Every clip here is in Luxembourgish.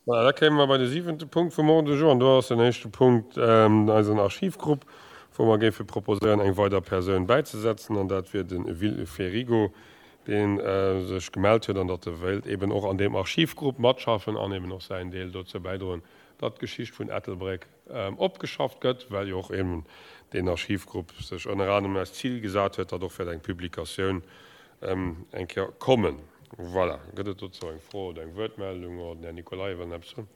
Voilà, da kéime mer bei de siwente Punkt vum Ordre du jour. An do ass den éischte Punkt eisen Archivgrupp, wou mer géife proposéieren, eng weider Persoun bäizesetzen, an dat wier de Will Ferigo, dee sech gemellt huet an datt e wéilt eben och an deem Archivgrupp matschaffen an eben och säin Deel dozou bäidroen, datt d'Geschicht vun Ettelbréck opgeschafft gëtt, well jo och eben deen Archivgrupp sech ënner anerem als Zil gesat huet, datt och wäert eng Publikatioun eng Kéier kommen. Voilà. Gëtt et dozou eng Fro oder eng Wuertmeldung? Oder den Här Nicolay wëll nach eppes soen.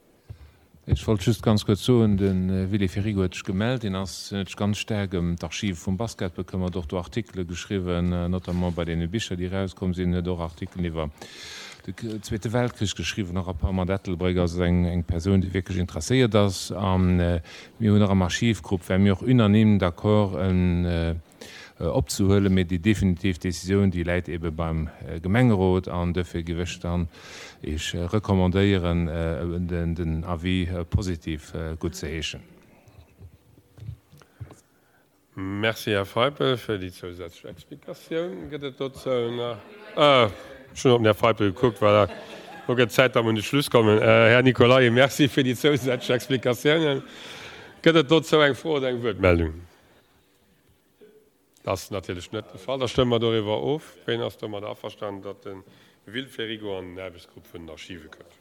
Ech wollt just ganz kuerz soen, de Willy Ferigo huet sech gemellt. Deen ass, huet sech ganz staark ëm d'Archive vum Basket bekëmmert, och do Artikele geschriwwen, notamment bei deene Bicher, déi erauskomm sinn, huet och Artikelen iwwer de Zweete Weltkrich geschriwwen, en rapport mat Ettelbréck. Also eng, eng Persoun, déi wierklech interesséiert ass. A mir hunn och am Archivgrupp, ware mir och unanime d'accord, en opzehuelen, mee déi definitiv Décisioun, déi läit ebe beim Gemengerot an duerfir géif ech dann Iech recommandéieren, den Avis positif guttzeheeschen. Merci, Här Feipel, fir déi zousätzlech Explikatioun. Gëtt et dozou nach? Ech hunn op den Här Feipel gekuckt, voilà. Elo gëtt et Zäit, datt mer un de Schluss kommen. Här Nicolay, merci fir déi zousätzlech Explikatiounen. Gëtt et dozou eng Fro oder eng Wuertmeldung? Dat ass natierlech net de Fall. Da stëmme mer doriwwer of. Ween ass domadder averstanen, datt de Will Ferigo an den Aarbechtsgrupp vun den Archive kënnt?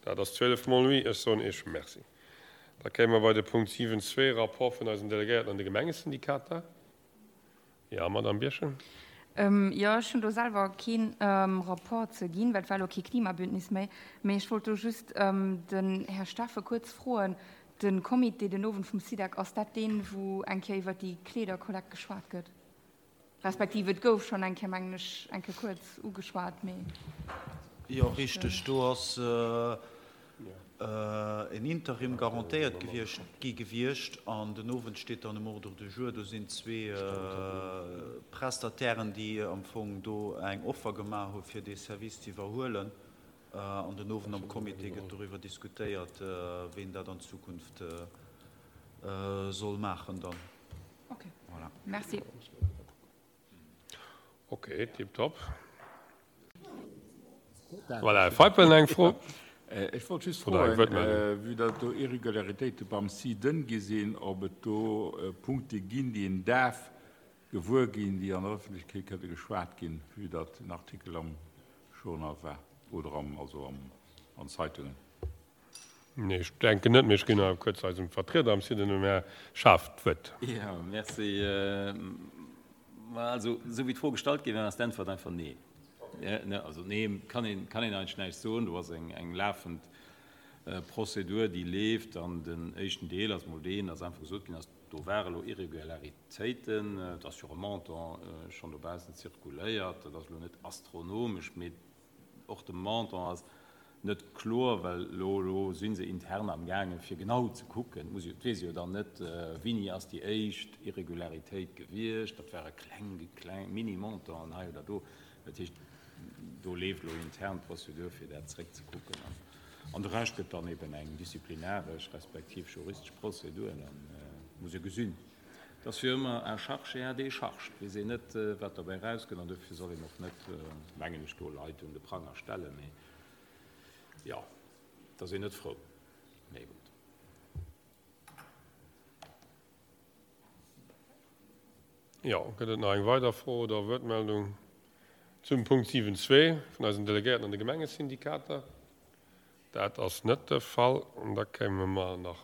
Dat ass 12 mol oui. Ech soen Iech Merci. Da kéime mer bei de Punkt 7, zwee, Rapport vun eisen Delegéierten an de Gemengesyndikater. Jo, Madamm Birchen. Jo, ech hunn do selwer kee Rapport ze ginn, well et war elo kee Klimabündnis méi. Mee ech wollt do just den Här Steffen kuerz froen, De Comité den Owend vum SIDEC, ass dat deen, wou eng Kéier iwwer déi Kleederkollekt geschwat gëtt? Respektiv et gouf schonn eng Kéier, mengen ech, eng Kéier kuerz ugeschwat, mee. Jo, richteg. Do ass en Interim garantéiert gewiescht, gi gewiescht an den Owend steet dann um Ordre du jour. Do sinn zwee Prestatairen, déi am Fong do eng Offer gemaach hu fir dee Service ze iwwerhuelen. An den Owend am Comité gëtt doriwwer diskutéiert, ween dat an Zukunft soll maachen dann. Ok, merci. Ok, tiptop. Voilà, Här Feipel, eng Fro? Ech wollt just froen, vue datt do Irregularitéite beim SIDEN gi sinn, ob et do Punkte ginn, déi een däerf gewuer ginn, déi an der Ëffentlechkeet kënne geschwat ginn, vue datt en Artikel am Journal war oder am, also am, an Zeitungen. Nee, ech denken net, mee ech ginn awer kuerz eisem Vertrieder am Site, dem Här Schaaf, d'Wuert. Jo, merci. Ma also, esou wéi d'Fro gestallt gi war, ass d'Äntwert einfach nee. Also nee, kann een, kann een eigentlech näischt soen. Do ass eng, eng lafend Prozedur, déi leeft. An den éischten Deel ass emol deen, dass einfach gesot ginn ass, do ware elo Irregularitéiten. Et ass jo e Montant schonn dobaussen zirkuléiert. Dat ass elo net astronomesch, mee och de Montant ass net kloer, well elo, elo si se intern amgaangen, fir genau ze kucken. Et muss jo, et weess ee jo dann net, wéini ass déi éischt Irregularitéit gewiescht. Dat ware kleng, kleng Mini-Montanten hei oder do. Dat heescht, do leeft elo intern d'Prozedur, fir dat zréckzekucken. An de Rescht gëtt dann eben eng disziplinaresch respektiv juristesch Prozedur. Dann muss ee gesinn. Et ass jo ëmmer à charge et à décharge. Et weess een net, wat dobäi erauskënnt. An dofir soll een och net, mengen ech, do Leit un de Pranger stellen. Mee jo, et ass een net frou. Mee gutt. Jo, gëtt et nach eng weider Fro oder Wuertmeldung zum Punkt 7.2 vun eisen Delegéierten an de Gemengesyndikater? Dat ass net de Fall. An da kéime mer nach.